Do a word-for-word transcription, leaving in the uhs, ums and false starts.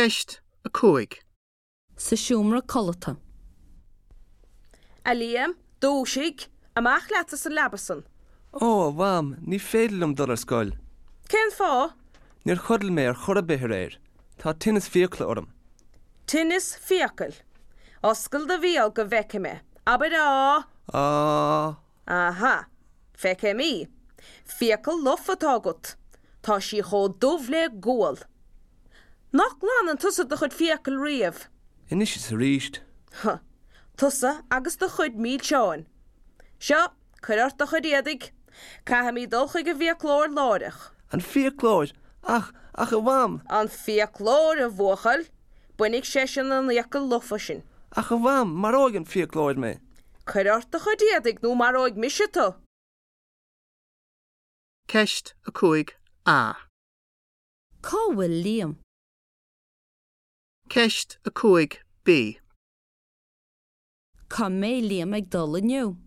Ceist a cúig. Sa seomra codlata. A Liam, dúisigh, amach leat as an leaba san. Ó, a Mham, ní féidir liom dul ar scoil. Cén fáth? Níor chodail mé ar chor ar bith aréir. Tá tinneas fiacla orm. Tinneas fiacal. Oscail do bhéal go bhfeice mé. Abair á. Á. Aha. Feicim í. Fiacail lofa atá agat. Tá sí chomh dubh le gual. Nach nglanann tusa do chuid fiacal riamh. Anois is arís. Huh. Tusa agus do chuid milseáin. Seo, cuir ort do chuid éadaigh. Caithfimid dul chuig an bhfiaclóir láithreach. An fiaclóir? Ach, ach a Mham! An fiaclóir a bhuachaill, bainfidh seisean an fhiacail lofa sin. Ach a Mham, maróidh an fiaclóir mé. Cuir ort do chuid éadaigh nó maróidh mise tú. Ceist a cúig A. Cá bhfuil Liam? Ceist a cúig B. Cá mbeidh Liam ag dul inniu.